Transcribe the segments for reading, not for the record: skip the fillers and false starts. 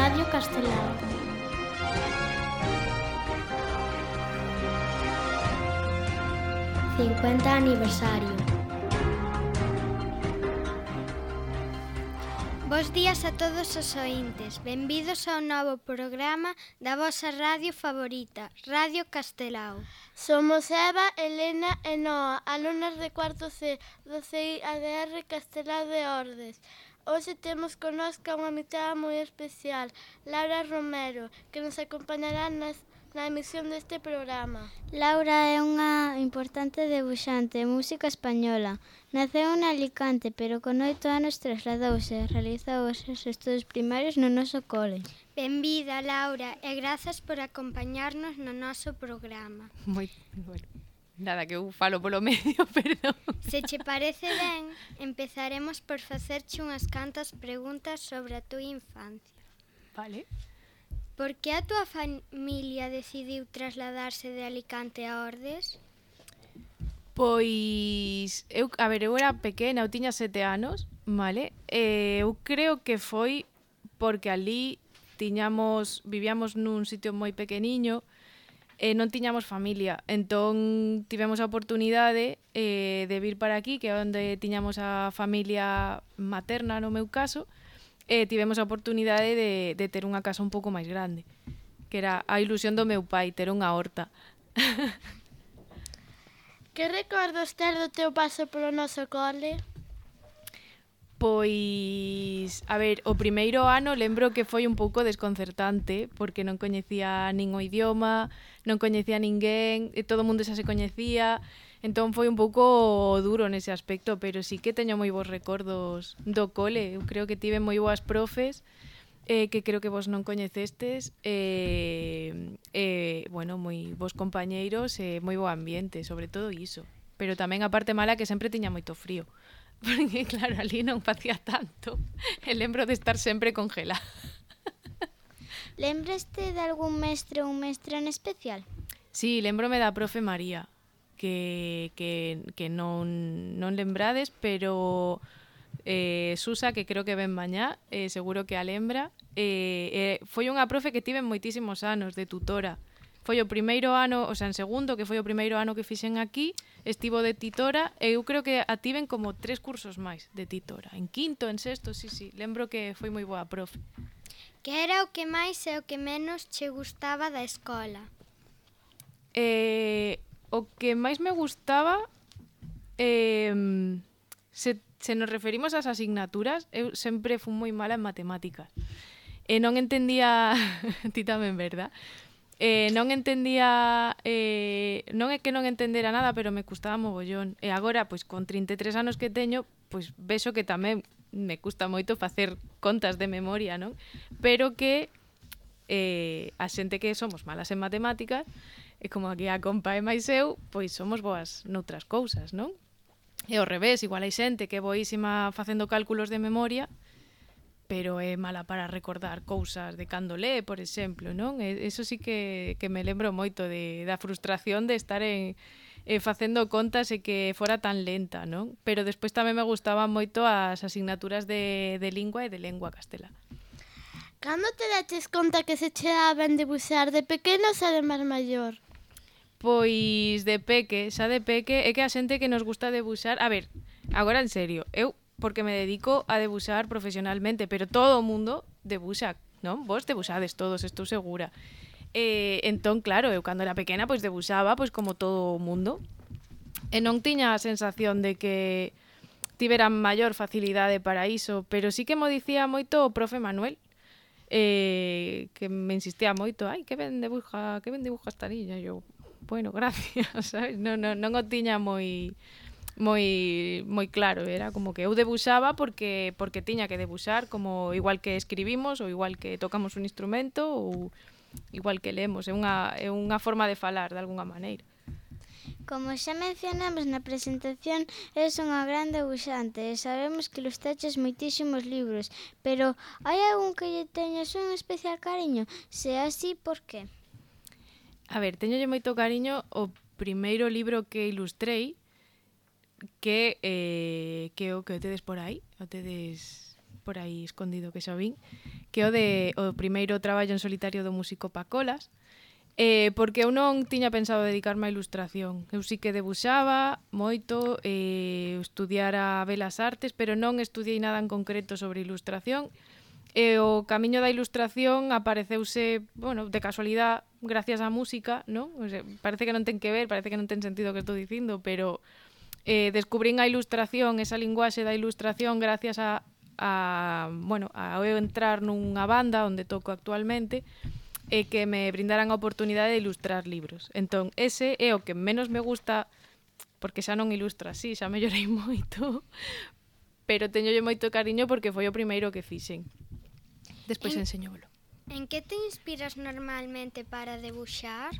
Radio Castelao. ¡50 aniversario! Bos días a todos os ointes. Benvidos ao novo programa da vosa radio favorita, Radio Castelao. Somos Eva, Elena e Noa, alumnas de cuarto C do CI ADR Castelao de Ordes. Hoxe temos connosco unha invitada moi especial, Laura Romero, que nos acompañará na emisión deste programa. Laura é unha importante debuxante e música española. Naceu en Alicante, pero con 8 anos trasladouse e realizou os seus estudos primarios no noso cole. Benvida, Laura, e grazas por acompañarnos no noso programa. Moi, bueno, nada, que eu falo polo medio, perdón. Se che parece ben, empezaremos por facerche unhas cantas preguntas sobre a túa infancia. Vale. Por que a túa familia decidiu trasladarse de Alicante a Ordes? Pois, eu era pequena, eu tiña 7 anos, vale? Eu creo que foi porque ali vivíamos nun sitio moi pequeniño e non tiñamos familia. Entón, tivemos a oportunidade de vir para aquí, que é onde tiñamos a familia materna, no meu caso, e tivemos a oportunidade de ter unha casa un pouco máis grande, que era a ilusión do meu pai, ter unha horta. Que recordos tes do teu paso polo noso cole? Pois, o primeiro ano lembro que foi un pouco desconcertante porque non coñecía nin o idioma, non coñecía ninguén, e todo o mundo xa se coñecía, entón foi un pouco duro nese aspecto, pero sí que teño moi bons recordos do cole. Eu creo que tive moi boas profes, que creo que vos non coñecestes, bueno, moi bons compañeiros e moi bo ambiente, sobre todo iso. Pero tamén a parte mala que sempre tiña moito frío. Porque, claro, ali non facía tanto. E lembro de estar sempre congelada. Lembraste de algún mestre ou mestra en especial? Sí, lembrome da profe María, que non lembrades, pero Susa, que creo que ven mañá, seguro que a lembra. Foi unha profe que tive moitísimos anos de tutora. Foi o primeiro ano, o sea, en segundo, que foi o primeiro ano que fixen aquí, estivo de titora, e eu creo que a tiven como 3 cursos máis de titora. En quinto, en sexto, sí, lembro que foi moi boa profe. Que era o que máis e o que menos che gustaba da escola? O que máis me gustaba, se nos referimos ás asignaturas, eu sempre fui moi mala en matemáticas. E non entendía, ti tamén, verdad? Non entendía, non é que non entendera nada, pero me custaba mogollón. E agora, pois, con 33 anos que teño, pois, vexo que tamén me custa moito facer contas de memoria, non? Pero que a xente que somos malas en matemáticas, e como aquí a compa e máis eu, pois somos boas noutras cousas, non? E ao revés, igual hai xente que é boísima facendo cálculos de memoria, pero é mala para recordar cousas de cando lee, por exemplo, non? Eso sí que me lembro moito da frustración de estar facendo contas e que fora tan lenta, non? Pero despois tamén me gustaban moito as asignaturas de lingua e de lengua castelá. Cando te daches conta que se che daban debuxar, de pequeno ou xa de máis maior? Pois de peque, xa de peque, é que a xente que nos gusta debuxar... A ver, agora en serio, eu porque me dedico a debuxar profesionalmente, pero todo o mundo debuxa, non? Vos debuxades todos, estou segura. Entón, claro, eu cando era pequena pois debuxaba pois como todo o mundo. E non tiña a sensación de que tivera maior facilidade para iso, pero sí que mo dicía moito o profe Manuel, que me insistía moito, ai, que ben dibuja esta niña. E eu, bueno, gracias, sabes? Non o tiña moi claro, era como que eu debuxaba porque tiña que debuxar, como igual que escribimos ou igual que tocamos un instrumento ou igual que lemos, é unha forma de falar de algunha maneira. Como xa mencionamos na presentación, és unha gran debuxante e sabemos que ilustraches moitísimos libros, pero hai algún que lle teñas un especial cariño? Se é así, por que? A ver, teñolle moito cariño o primeiro libro que ilustrei, que o tedes por aí, o tedes por aí escondido que xa vin, que é o primeiro traballo en solitario do músico Pacolas, porque eu non tiña pensado dedicarme á ilustración. Eu sí que debuxaba moito, estudiara Belas Artes, pero non estudiei nada en concreto sobre ilustración. E o camiño da ilustración apareceuse, bueno, de casualidade, gracias á música, non? O sea, parece que non ten que ver, parece que non ten sentido o que estou dicindo, pero descubrín a ilustración, esa linguaxe da ilustración gracias a eu entrar nunha banda onde toco actualmente, e que me brindaran a oportunidade de ilustrar libros. Entón, ese é o que menos me gusta, porque xa non ilustro así, xa mellorei moito, pero teñolle moito cariño porque foi o primeiro que fixen. Despois enseñóvolo. En que te inspiras normalmente para debuxar?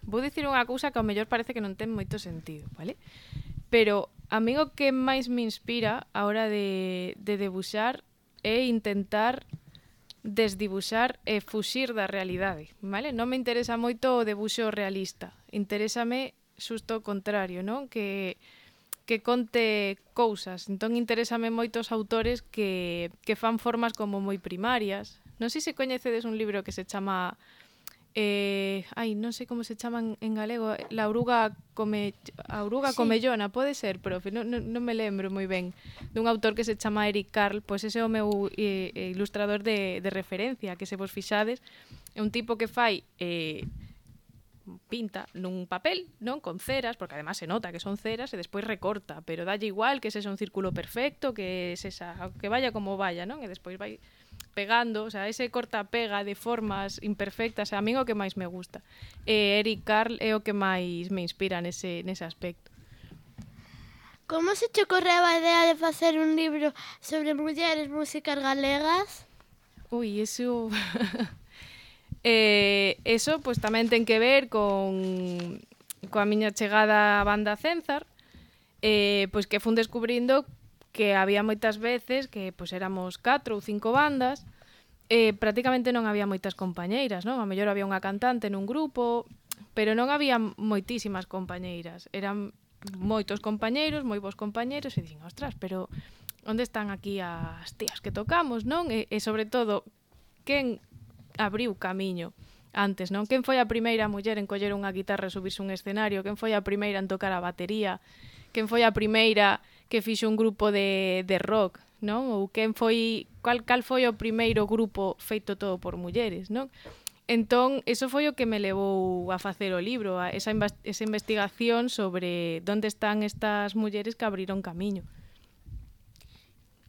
Vou dicir unha cousa que ao mellor parece que non ten moito sentido, vale? Pero a mí o que máis me inspira a hora de debuxar é intentar desdibuxar e fuxir da realidade, vale? Non me interesa moito o debuxo realista, interésame xusto o contrario, non? Que conte cousas. Entón interésame moitos autores que fan formas como moi primarias. Non sei se coñecedes un libro que se chama non sei como se chaman en galego, a auruga comellona, pode ser, profe, non me lembro moi ben, dun autor que se chama Eric Carle, pois ese é o meu ilustrador de referencia, que se vos fixades, é un tipo que fai pinta nun papel, non, con ceras, porque además se nota que son ceras, e despois recorta, pero dalle igual que sexa un círculo perfecto, que vaya como vaya, non, e despois vai pegando, o sea, ese corta-pega de formas imperfectas, a mí é o que máis me gusta. Eric Carle é o que máis me inspira nese aspecto. Como se te ocorreu a idea de facer un libro sobre mulleres músicas galegas? Ui, eso... eso, pois, tamén ten que ver coa miña chegada á banda Cenzar, pois que fun descubrindo que había moitas veces que pois éramos 4 ou 5 bandas, prácticamente non había moitas compañeiras, non? A mellor había unha cantante nun grupo, pero non había moitísimas compañeiras. Eran moitos compañeiros, moi bons compañeiros, e dicen, ostras, pero onde están aquí as tías que tocamos, non? E sobre todo, quen abriu camiño antes, non? Quen foi a primeira muller en coller unha guitarra e subirse un escenario? Quen foi a primeira en tocar a batería? Quen foi a primeira que fixo un grupo de rock, non? Ou cal foi o primeiro grupo feito todo por mulleres, non? Entón, eso foi o que me levou a facer o libro, esa investigación sobre onde están estas mulleres que abriron camiño.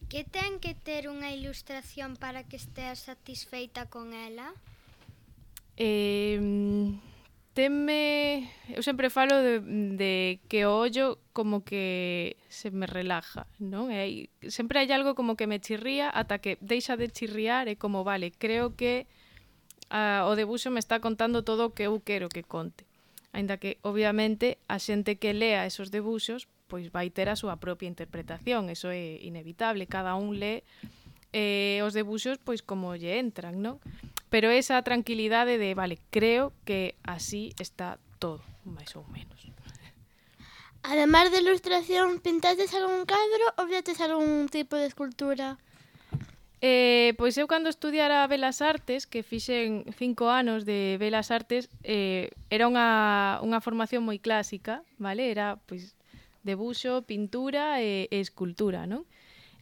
Que ten que ter unha ilustración para que esteas satisfeita con ela? Eu sempre falo de que o ollo como que se me relaja, non? Sempre hai algo como que me chirría ata que deixa de chirriar e como, vale, creo que o debuxo me está contando todo o que eu quero que conte. Aínda que, obviamente, a xente que lea esos debuxos pois vai ter a súa propia interpretación, eso é inevitable, cada un lee os debuxos pois como lle entran, non? Pero esa tranquilidade de, vale, creo que así está todo, máis ou menos. Ademais de ilustración, pintaste algún cadro ou fixetes algún tipo de escultura? Pois eu cando estudiara Belas Artes, que fixen 5 anos de Belas Artes, era unha formación moi clásica, vale? Era, pois, debuxo, pintura e escultura, non?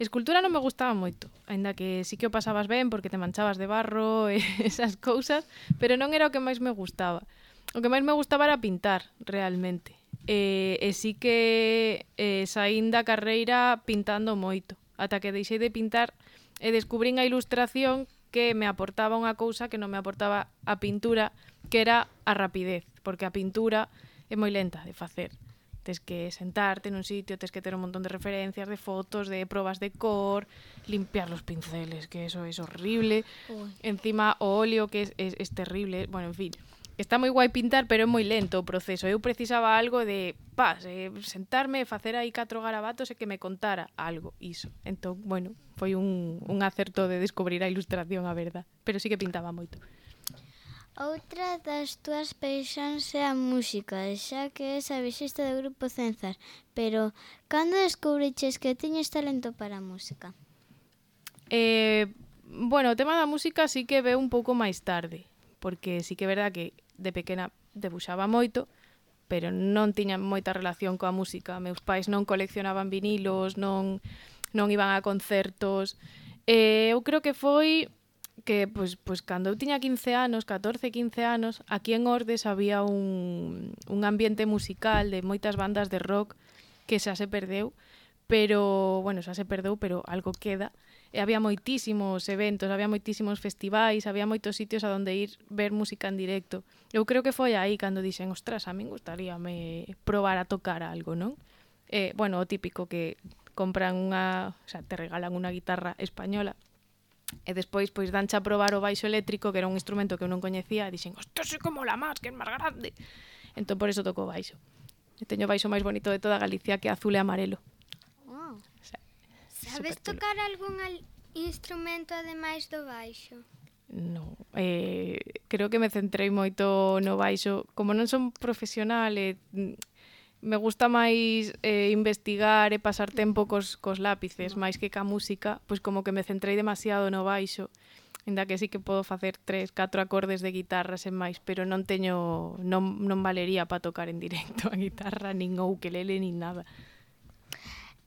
Escultura non me gustaba moito, aínda que sí que o pasabas ben porque te manchabas de barro e esas cousas, pero non era o que máis me gustaba. O que máis me gustaba era pintar, realmente. E sí que saín da carreira pintando moito, ata que deixei de pintar e descubrín a ilustración que me aportaba unha cousa que non me aportaba a pintura, que era a rapidez, porque a pintura é moi lenta de facer. Tes que sentarte nun sitio, tes que ter un montón de referencias, de fotos, de probas de cor, limpiar los pinceles, que eso es horrible. Encima o óleo, que es terrible. Bueno, en fin, está moi guai pintar, pero é moi lento o proceso. Eu precisaba algo de sentarme, facer aí 4 garabatos e que me contara algo, iso. Entón, bueno, foi un acerto de descubrir a ilustración, a verdad. Pero sí que pintaba moito. Outra das túas paixóns é a música, xa que és a baixista do grupo Cenzar. Pero, cando descubriches que tiñes talento para a música? Bueno, o tema da música sí que veu un pouco máis tarde, porque sí que é verdad que de pequena debuxaba moito, pero non tiña moita relación coa música. Meus pais non coleccionaban vinilos, non iban a concertos. Eu creo que foi que, pois cando eu tiña 15 anos, 14, 15 anos, aquí en Ordes había un ambiente musical de moitas bandas de rock que xa se perdeu, pero algo queda. E había moitísimos eventos, había moitísimos festivais, había moitos sitios a donde ir ver música en directo. Eu creo que foi aí cando dixen, ostras, a min gustaríame probar a tocar algo, non? O típico que compran te regalan unha guitarra española e despois pois danche a probar o baixo eléctrico, que era un instrumento que eu non coñecía, e dixen, ostras, é como la más, que é máis grande. Entón por eso toco baixo. E teño o baixo máis bonito de toda Galicia, que é azul e amarelo. Wow. Sabes tocar algún instrumento ademais do baixo? Non, creo que me centrei moito no baixo. Como non son profesional, me gusta máis investigar e pasar tempo cos lápices, máis que ca música, pois como que me centrei demasiado no baixo, ainda que sí que podo facer 3, 4 acordes de guitarra sen máis, pero non valería para tocar en directo a guitarra, nin o ukelele, nin nada.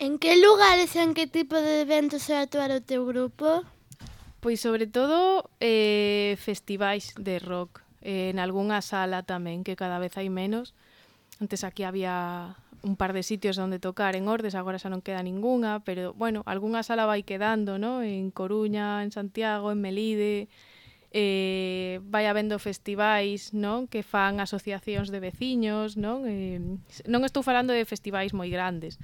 En que lugares e en que tipo de eventos vai actuar o teu grupo? Pois sobre todo festivais de rock, en algunha sala tamén, que cada vez hai menos. Antes aquí había un par de sitios onde tocar en Ordes, agora xa non queda ningunha, pero, bueno, algunha sala vai quedando, ¿no? En Coruña, en Santiago, en Melide, vai habendo festivais, non? Que fan asociacións de veciños, non? Non estou falando de festivais moi grandes,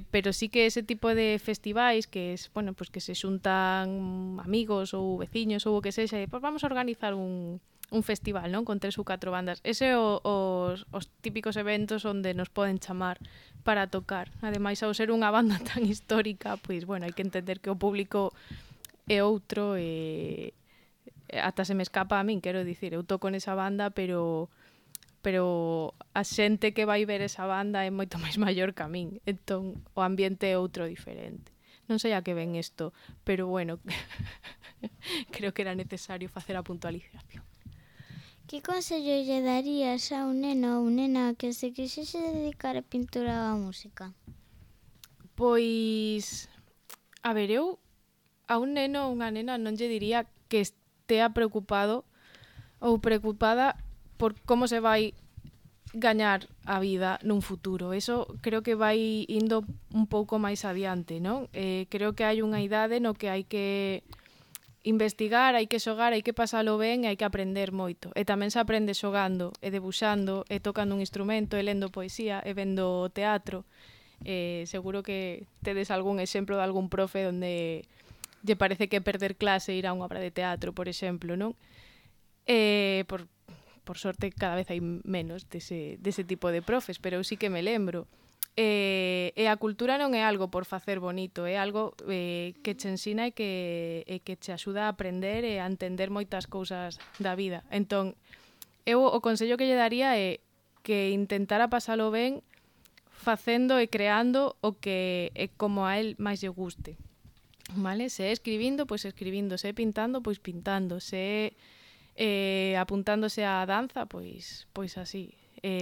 pero sí que ese tipo de festivais que es, bueno, pues que se xuntan amigos ou veciños ou o que sexa, e pues vamos a organizar un festival, non? Con 3 ou 4 bandas. Ese os típicos eventos onde nos poden chamar para tocar. Ademais, ao ser unha banda tan histórica, pois, bueno, hai que entender que o público é outro e ata se me escapa a min, quero dicir, eu toco nesa banda, pero a xente que vai ver esa banda é moito máis maior que a min. Entón, o ambiente é outro diferente. Non sei a que ven isto, pero bueno, creo que era necesario facer a puntualización. Que consello lle darías a un neno ou nena que se quixese dedicar a pintura ou a música? Pois, a ver, eu a un neno ou unha nena non lle diría que estea preocupado ou preocupada por como se vai gañar a vida nun futuro. Eso creo que vai indo un pouco máis adiante, non? Creo que hai unha idade no que hai que investigar, hai que xogar, hai que pasalo ben e hai que aprender moito. E tamén se aprende xogando, e debuxando, e tocando un instrumento, e lendo poesía, e vendo teatro. Seguro que tedes algún exemplo de algún profe onde lle parece que perder clase ir a unha obra de teatro, por exemplo, non? Por sorte cada vez hai menos dese tipo de profes, pero eu sí que me lembro. E a cultura non é algo por facer bonito, é algo que che ensina e que che axuda a aprender e a entender moitas cousas da vida. Entón, eu o consello que lle daría é que intentara pasalo ben facendo e creando o que é como a él máis lle guste. Vale? Se é escribindo, pois escribindo, se é pintando, pois pintando, se é apuntándose á danza, pois así.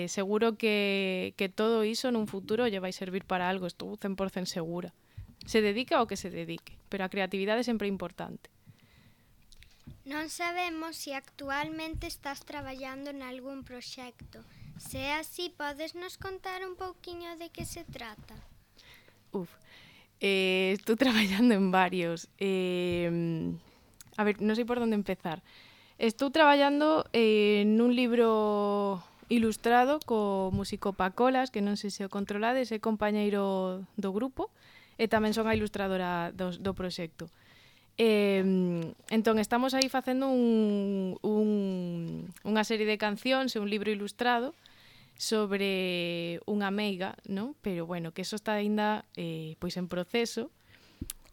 Seguro que todo iso nun futuro lle vai servir para algo, estou 100% segura. Se dedica ao que se dedique, pero a creatividade sempre é importante. Non sabemos se actualmente estás traballando en algún proxecto. Se é así, podes nos contar un pouquiño de que se trata? Estou traballando en varios. A ver, non sei por onde empezar. Estou traballando nun libro ilustrado co músico Pacolas, que non sei se o controlades, é compañeiro do grupo e tamén son a ilustradora do proxecto. Entón, estamos aí facendo unha serie de cancións e un libro ilustrado sobre unha meiga, non? Pero, bueno, que eso está ainda pois en proceso.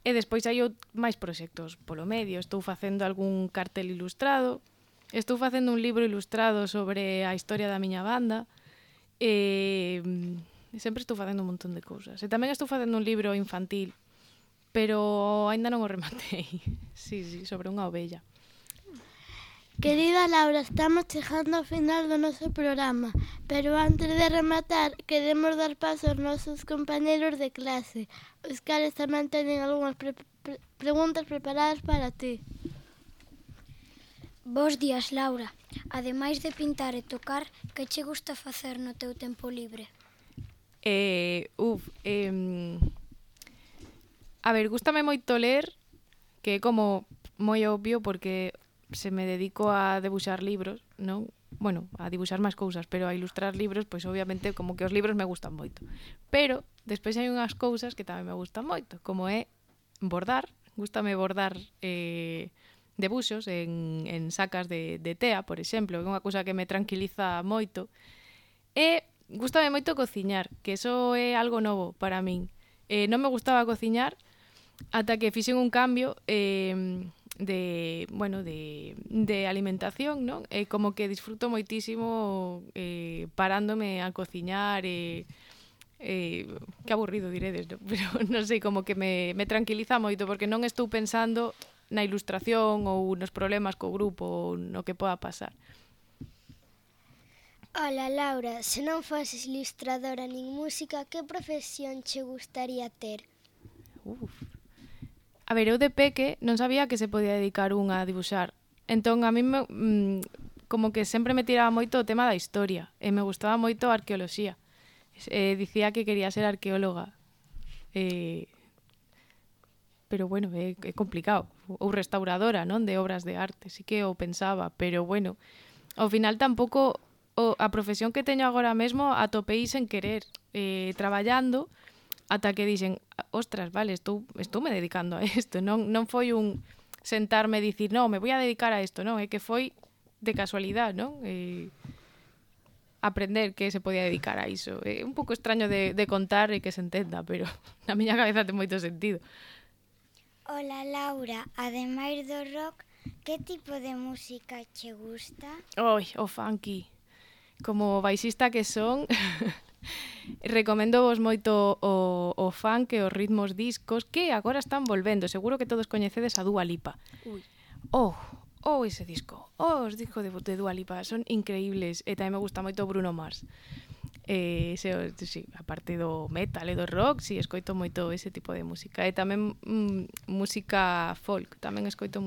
E despois hai máis proxectos polo medio. Estou facendo algún cartel ilustrado, estou facendo un libro ilustrado sobre a historia da miña banda. Sempre estou facendo un montón de cousas. E tamén estou facendo un libro infantil, pero aínda non o rematei. Sí, sobre unha ovella. Querida Laura, estamos chegando ao final do noso programa, pero antes de rematar, queremos dar paso aos nosos compañeros de clase, os cales tamén teñen algunhas preguntas preparadas para ti. Bos días, Laura. Ademais de pintar e tocar, que che gusta facer no teu tempo libre? A ver, gústame moito ler, que é como moi obvio porque se me dedico a debuxar libros, non? Bueno, a dibuxar máis cousas, pero a ilustrar libros, pois obviamente como que os libros me gustan moito. Pero despois hai unhas cousas que tamén me gustan moito, como é bordar. Gústame bordar debuxos en sacas de tea, por exemplo, que é unha cousa que me tranquiliza moito. E gústame moito cociñar, que eso é algo novo para min. Non me gustaba cociñar ata que fixen un cambio de alimentación, non? Como que disfruto moitísimo parándome a cociñar que aburrido diredes, non? Pero non sei, como que me tranquiliza moito porque non estou pensando na ilustración ou nos problemas co grupo ou no que poda pasar. Ola, Laura, se non foses ilustradora nin música, que profesión che gustaría ter? A ver, eu de peque non sabía que se podía dedicar unha a dibuxar. Entón, a mí como que sempre me tiraba moito o tema da historia e me gustaba moito a arqueoloxía. Dicía que quería ser arqueóloga. Pero bueno, é complicado. Ou restauradora, non? De obras de arte, sí que o pensaba, pero bueno, ao final tampouco a profesión que teño agora mesmo atopei sen querer, traballando, ata que dixen, ostras, vale, estou me dedicando a isto, non foi un sentarme e dicir, non, me voy a dedicar a isto, non, é que foi de casualidade, non? Aprender que se podía dedicar a iso. É un pouco extraño de contar e que se entenda, pero na miña cabeza ten moito sentido. Ola, Laura, ademais do rock, que tipo de música che gusta? Oi, o funky. Como baixista que son, recomendo vos moito o funk e os ritmos discos que agora están volvendo. Seguro que todos coñecedes a Dua Lipa. Ese disco. Os discos de Dua Lipa son increíbles e tamén me gusta moito Bruno Mars. Sí, a parte do metal e do rock, sí, escoito moito ese tipo de música. E tamén música folk, tamén escoito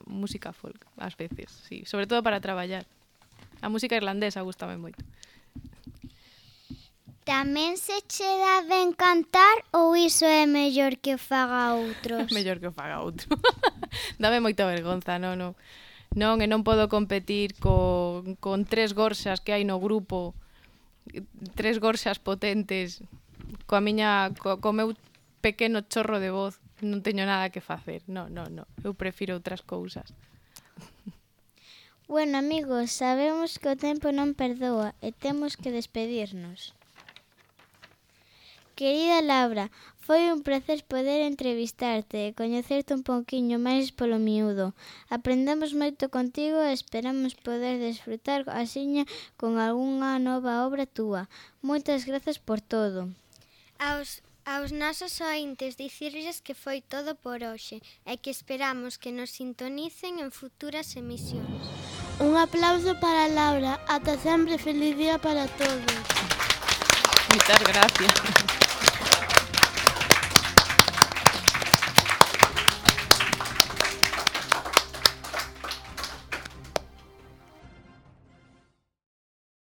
música folk ás veces, sí, sobre todo para traballar. A música irlandesa gustame moito. Tamén se che dá ben cantar ou iso é mellor que o faga outros? Mellor que o faga outro. Dame moita vergonza, non, e non podo competir con 3 gorxas que hai no grupo, 3 gorxas potentes, co meu pequeno chorro de voz, non teño nada que facer. Non, eu prefiro outras cousas. Bueno, amigos, sabemos que o tempo non perdoa e temos que despedirnos. Querida Laura, foi un placer poder entrevistarte e coñecerte un pouquiño máis polo miúdo. Aprendemos moito contigo e esperamos poder desfrutar asiña con algunha nova obra túa. Moitas grazas por todo. Aos nosos ointes dicirlles que foi todo por hoxe e que esperamos que nos sintonicen en futuras emisións. Un aplauso para Laura. Ata sempre, feliz día para todos. Moitas gracias.